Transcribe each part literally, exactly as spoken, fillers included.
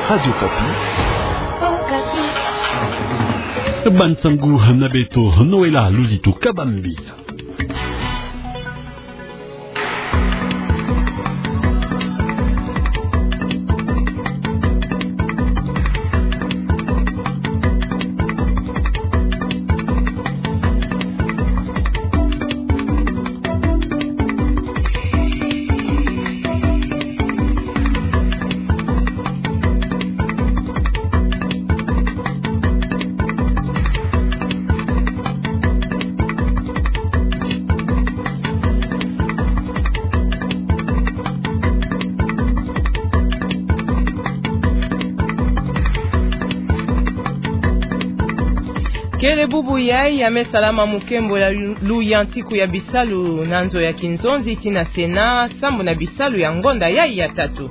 Radio Okapi. Bansangu na beto, Noëlla Luzitu Kabambi. Kele bubu yai ya me salama mukembo ya lu-, luyantiku ya bisalu na nzo ya kinzonzi tii na Sénat, sambu na bisalu ya ngonda yai ya tatu.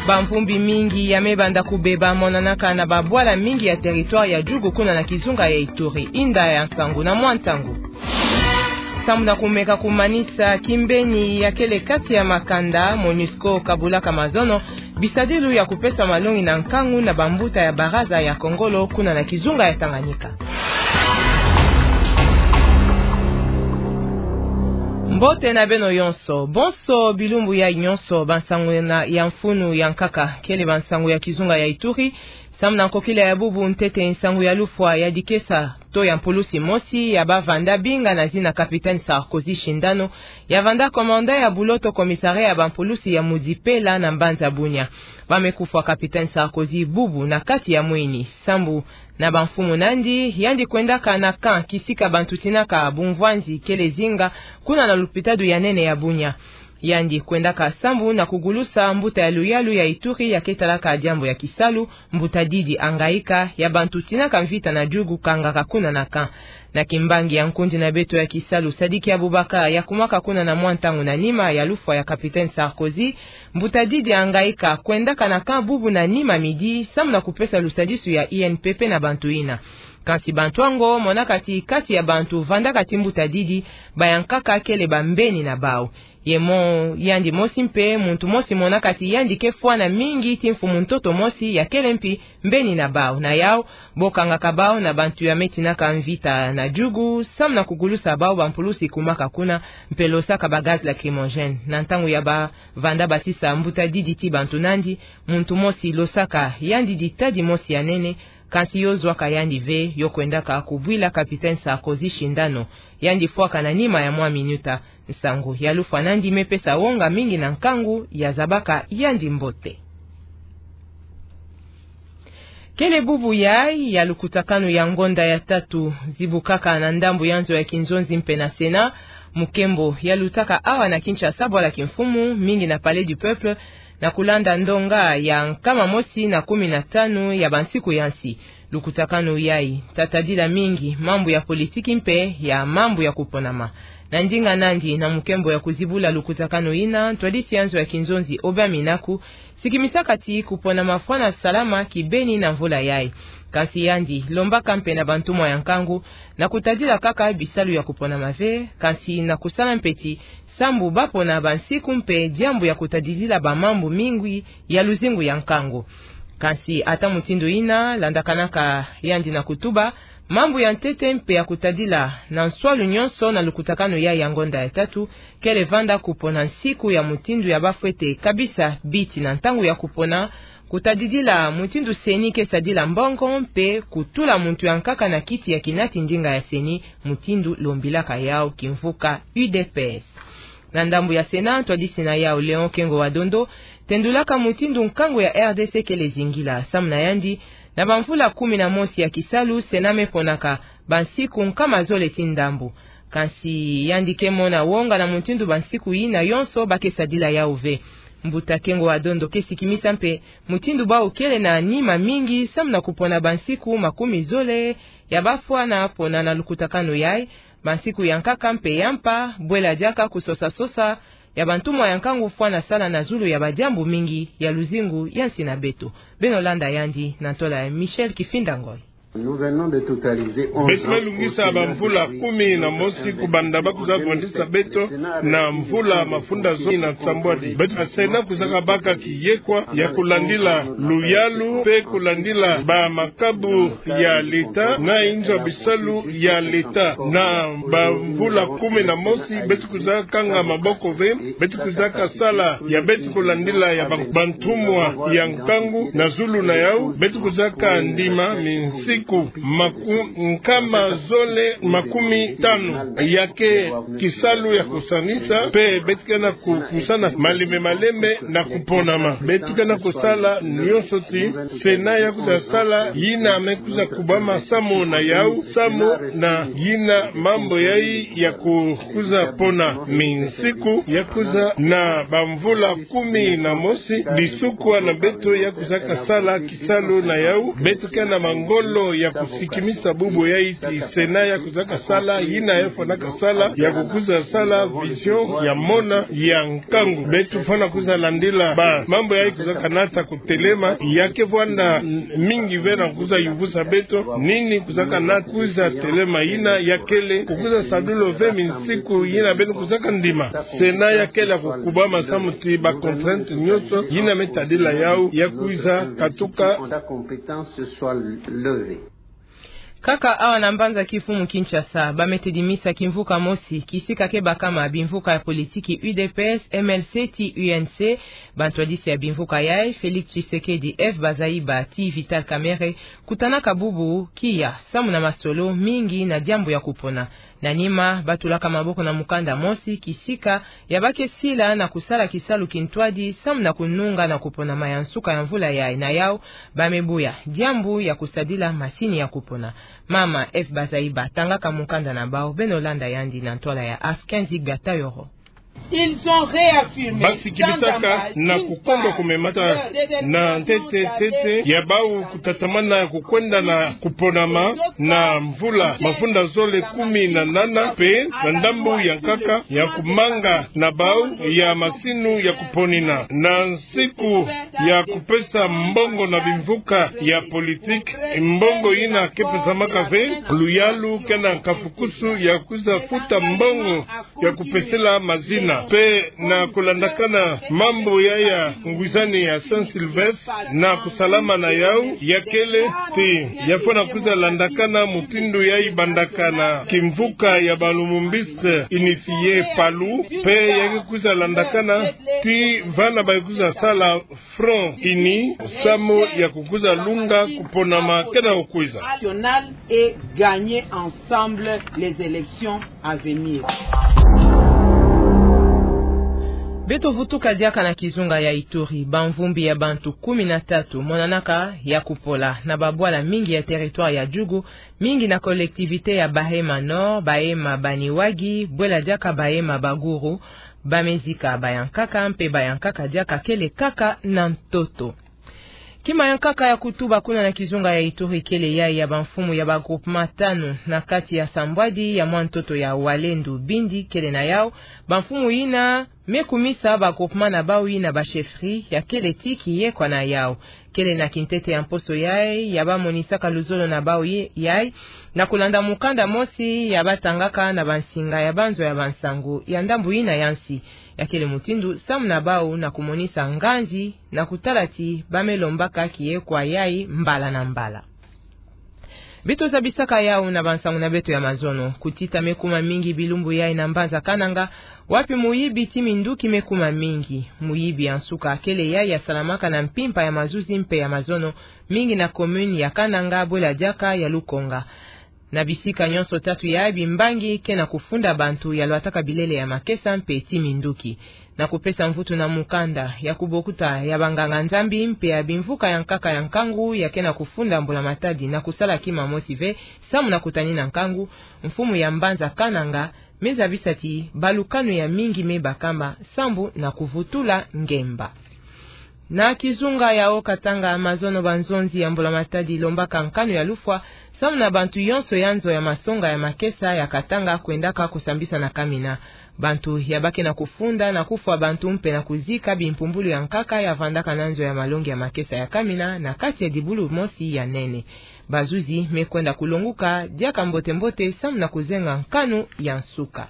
Bamvumbi mingi ya me banda kubeba monanaka na babwala mingi ya territoire ya Djougou kuna na kizunga ya Ituri. Inda ya nsangu na mwa ntangu. Sambu na kumeka kumanisa kimbeni ya kele kati ya makanda, MONUSCO kabulaka mazono bisadilu ya kupesa malongi na nkangu na bambuta ya baraza ya Kongolo kuna na kizunga ya Tanganyika. Mbote na beno yonso. Bonso bilumbu yai nyonso, bansangu na, ya mfunu ya nkaka, kele bansangu ya kizunga ya Ituri, sambu na nkokila ya bubu ntete nsangu ya lufwa ya dikesa to ya mpulusi mosi ya bavanda binga na zina Capitaine Sarkozy Shindano, ya vanda commandant ya buloto commissariat ya bampulusi ya Mudipela na mbanza Bunia. Ba me kufwa Capitaine Sarkozy bubu na kati ya mwini, sambu na bamfumu nandi, yandi kwendaka na camp kisika bantu tinaka bumvwanzi kele zinga kuna na lupitalu ya nene ya Bunia. Yandi kwendaka sambu na kugulusa mbuta ya luyalu ya Ituri ya ke talaka diambu ya kisalu, mbuta Didi Angaika, ya bantu tinaka mvita na Djougou kangaka kuna na camp. Na kimbangi ya nkundi na beto ya kisalu Sadiki Abubakar ya kumaka kuna na mwa ntangu na nima ya lufwa ya Capitaine Sarkozy, mbuta Didi Angaika kwendaka na camp bubu na nima midi, sambu na kupesa lusadisu ya I N P P na bantu yina. Kansi bantu yango monaka ti kati ya bantu vandaka ti mbuta Didi, ba ya nkaka kele bambeni na bawu. Ye mo-, yandi mosi mpe, muntu mosi monaka ti yandi ke fwana mingi ti mfumu-ntoto mosi ya kele mpi mbeni na bawu. Na yawu, bo kangaka bawu na bantu ya me tinaka mvita na Djougou, sambu na kugulusa bawu bampulusi kumaka kuna, mpe losaka ba gaz lacrymogène. Na ntangu ya ba vanda basisa mbuta Didi ti bantu nandi, muntu mosi losaka yandi ditadi mosi ya nene, kansi yo zwaka yandi ve, yo kwendaka kubwila Capitaine Sarkozy Shindano, yandi fwaka na nima ya mwa minuta. Nsangu ya lufwa nandi me pesa wonga mingi na nkangu ya zabaka yandi mbote. Kele bubu yai ya lukutakanu ya ngonda ya tatu zibukaka na ndambu ya nzo ya kinzonzi mpe na Sénat, mukembo ya lutaka awa na Kinshasa bwala kimfumu, mingi na Palais du Peuple, na kulanda ndonga ya nkama mosi na kumi na tanu ya bansiku ya nsi. Lukutakanu yai ta tadila mingi mambu ya politiki mpe ya mambu ya kuponama. Na ndinga nandi na mukembo ya kuzibula lukutakanu yina, ntwadisi ya nzo ya kinzonzi Obia Minaku sikimisaka ti kuponama fwana salama kibeni na mvula yai. Kansi yandi lombaka mpe na bantumwa ya nkangu na kutadila kaka bisalu ya kuponama ve, kansi na kusala mpe ti sambu bapona bansiku mpe diambu ya kutadidila bamambu mingi ya luzingu ya nkangu. Kansi ata mutindu yina, landakanaka yandi na kutuba, mambu ya ntete mpe ya kutadila na nswalu nyonso na lukutakanu yai ya ngonda ya tatu, kele vanda kupona nsiku ya mutindu ya bafwete kabisa biti na ntangu ya kupona, kutadidila mutindu CENI ke sadila mbongo mpe kutula muntu ya nkaka na kiti ya kinati ndinga ya CENI, mutindu lombilaka yawu kimvuka U D P S. Na ndambu ya Sénat, ntwadisi na yawu Léon Kengo wa Dondo tendulaka mutindu nkangu ya R D C kele zingila. Samu na yandi, na bamvula kumi na mosi ya kisalu, Sénat me ponaka bansiku nkama zole ti ndambu. Kansi yandi ke mona wonga na mutindu bansiku yina yonso ba ke sadila yawu ve. Mbuta Kengo wa Dondo ke sikimisa mpe mutindu bawu kele na nima mingi samu na kupona bansiku makumi zole ya bafwana pona na lukutakanu yai, bansiku ya nkaka mpe ya mpa, bwela diaka kusosa-sosa ya bantumwa ya nkangu fwana sala na zulu ya badiambu mingi ya luzingu ya nsi na beto. Beno landa yandi na ntola ya Michel Kifinda Ngoy. Beto me lungisa bamvula kumi na mosi kubanda ba kwiza vandisa beto na mvula mafunda zomi na nsambwadi. Beto, Sénat kwiza kabaka kiyekwa ya kulandila luyalu mpe kulandila bamakabu ya leta na inzo ya bisalu ya leta. Na bamvula kumi na mosi, beto kwiza kanga maboko ve, beto kwiza kasala ya beto kulandila ya ban-, bantumwa ya nkangu na zulu na yau, beto kwiza kandima minsiku maku-, nkama zole makumi tanu ya ke kisalu ya kusanisa, mpe beto ke na ku-, kupusana malembe malembe na kuponama. Beto ke na kusala nyonso ti Sénat ya kwiza sala, yina me kwiza kubama samu na yau, samu na yina mambu yayi ya ku-, kwiza pona minsiku ya kwiza na bamvula kumi na mosi, lisukwa na beto ya kwiza kasala kisalu na yau, beto ke na mangolo ya kusikimisa bubu yayi ti Sénat ya kwiza kasala, yina ya fwana kasala, ya kukwiza sala vision ya mona ya nkangu. Beto fwana kwiza landila bamambu yayi kwiza kanata kutelema, ya ke vwanda mingi ve na kwiza yuvusa beto nini kwiza kanata kwiza telema, yina ya kele kukwiza sadula ve minsiku yina beno kwiza kandima. Sénat ya kele kukubama samu ti bacontrainte nyonso yina me tadila yau ya kwiza katuka. Kaka awa na mbanza kimfumu Kinshasa, ba me tedimisa kimvuka mosi, kisika ke bakama bimvuka ya politiki U D P S, M L C ti U N C, bantwadisi ya bimvuka yayi, Félix Tshisekedi, F Bazaiba ti Vital Kamerhe, kutanaka bubu kiya samu na masolo mingi na diambu ya kupona. Na nima, ba tulaka maboko na mukanda mosi, kisika ya ba ke sila na kusala kisalu kintwadi samu na kununga na kuponama ya nsuka ya mvula yayi. Na yau, ba me buya diambu ya kusadila masini ya kupona. Mama F Bazaiba tangaka mukanda na bau, beno landa yandi na ntwala ya Askenzi Gatayoro. Ils ont réaffirmé, ba sikimisaka na kukondo kumemata na ntete ntete ya bau kutatamana kukwenda na kuponama na mvula mafunda zole kumi na nana, mpe na ndambu ya nkaka ya kumanga na bau ya masini ya kuponina. Na nsiku ya kupesa mbongo na bimvuka ya politiki, mbongo yina ke pesamaka ve, luyalu ke na nkafukusu ya kwiza futa mbongo ya kupesela mazina. Mpe na kulandakana mambu ya ya ngwizani ya Saint-Sylvestre na kusalama na yau, ya kele ti ya fwana kwiza landakana mutindu yayi bandaka na kimvuka ya ba Lumumbiste unifié, PALU, mpe ya ke kwiza landakana ti vana ba kwiza sala Front Uni samu ya kukwiza lunga kuponama ke na kukwiza. Nationale et gagner ensemble les élections à venir. Beto vutuka diaka na kizunga ya Ituri, bamvumbi ya bantu kumi na tatu monanaka ya kupola na babwala mingi ya territoire ya Djugu, mingi na collectivité ya Bahema Nord, Bahema Baniwagi, bwela diaka Bahema Baguru, ba me zika bayankaka, mpe bayankaka diaka kele kaka na ntoto. Kima ya nkaka ya kutuba kuna na kizunga ya Ituri kele yayi ya bamfumu ya ba groupement tanu na kati ya sambwadi ya mwa ntoto ya Walendu Bindi kele na yau, bamfumu yina me kumisa ba groupement na bau yina ba chefferie ya kele ti kiyekwa na yau. Kele na kintete ya mposo yayi ya ba monisaka luzolo na bau ye-, yayi, na kulanda mukanda mosi ya ba tangaka na bansinga ya banzo ya bansangu ya ndambu yina ya nsi. Ya kele mutindu samu na bau na kumonisa nganzi na kutala ti ba me lombaka kiyekwa yayi mbala na mbala. Beto zabisaka yau na bansangu na beto ya mazono. Kutita me kuma mingi bilumbu yayi na mbanza Kananga, wapi muyibi ti minduki me kuma mingi. Muyibi ya nsuka kele yayi ya salamaka na mpimpa ya mazuzi mpe ya mazono, mingi na commune ya Kananga, bwela diaka ya Lukonga. Na bisika nyonso tatu yayi, bimbangi ke na kufunda bantu ya lwataka bilele ya makesa mpe ti minduki. Na kupesa mvutu na mukanda ya kubokuta ya banganga-Nzambi mpe ya bimvuka ya nkaka ya nkangu ya ke na kufunda mbula-matadi na kusala kima mosi ve samu na kutanina nkangu, mfumu ya mbanza Kananga me zabisa ti balukanu ya mingi me bakama sambu na kuvutula ngemba. Na kizunga ya Haut-Katanga, mazono, banzonzi ya mbula-matadi lombaka nkanu ya lufwa samu na bantu yonso ya nzo ya masonga ya makesa ya Katanga kwendaka kusambisa na kamina. Bantu ya ba ke na kufunda na kufwa bantu mpe na kuzika bimpumbulu ya nkaka ya vandaka na nzo ya malongi ya makesa ya kamina na kati ya dibulu mosi ya nene. Bazuzi me kwenda kulonguka diaka mbote-mbote samu na kuzenga nkanu ya nsuka.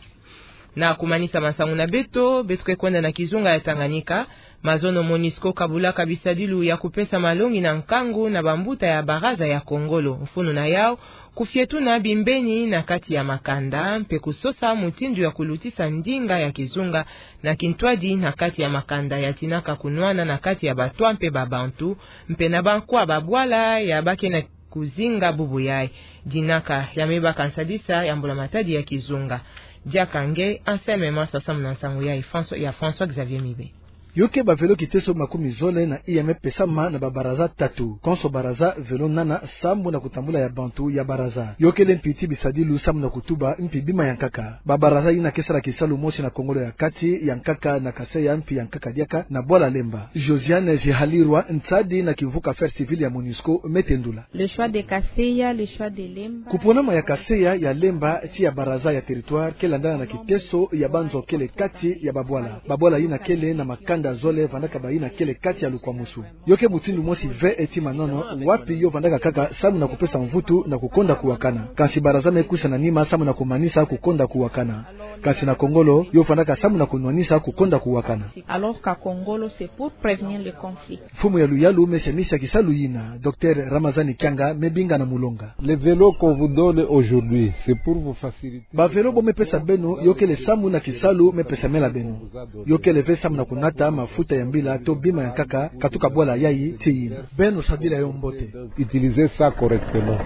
Na kumanisa masangu na beto, beto ke kwenda na kizunga ya Tanganyika. Mazono MONUSCO kabulaka bisadilu ya kupesa malongi na nkangu na bambuta ya baraza ya Kongolo. Mfunu na yau, kufietuna bimbeni na kati ya makanda, mpe kusosa mutindu ya kulutisa ndinga ya kizunga na kintwadi na kati ya makanda ya tinaka kunwana na kati ya batwa mpe babantu, mpe na bankwa babwala ya ba ke na kuzinga bubu yayi. Dinaka ya me baka nsadisa ya mbula-matadi ya kizunga. Diaka nge Anselme Masa samu na nsangu yayi François, ya François Xavier Mibe. Yo ke bavelo kiteso makumi zole na iya me pesama na babaraza tatu. Konso baraza velo nana samu na kutambula ya bantu ya baraza. Yo kele mpi ti bisadilu samu na kutuba mpi bima ya nkaka. Babaraza yina ke sala kisalu mosi na Kongolo ya Kati, ya nkaka na Kaseya mpi ya nkaka diaka na bwala Lemba. Josiane Zihalirwa, nsadi na kimvuka Affaires Civiles ya MONUSCO, me tendula. Le choix de Kaseya, le choix de Lemba. Kuponama ya Kaseya, ya Lemba, ti ya baraza ya territoire, ke landana na kiteso ya banzo kele kati ya babwala. Babwala yina kele na makanda zole vandaka bayina kele kati ya lukwamusu. Yo ke mutindu mosi ve ti manono, wapi yo vandaka kaka samu na kupesa mvutu na kukonda kuwakana. Kansi baraza me kwisa na nima samu na kumanisa kukonda kuwakana. Kansi na Kongolo, yo vandaka samu na kunwanisa kukonda kuwakana. Alors qu'à Kongolo, c'est pour prévenir le conflit. Mfumu ya luyalu me semisa kisalu yina, Docteur Ramazani Kianga, me binga na mulonga. Les vélos qu'on vous donne aujourd'hui, c'est pour vous faciliter. Bavelo bo me pesa beno, yo kele samu na kisalu me pesamela beno. Yo kele ve samu na kunata mafuta ya mbila to bima ya nkaka katuka bwala yayi ti yina. Beno sadila yo mbote. Utilisez ça correctement.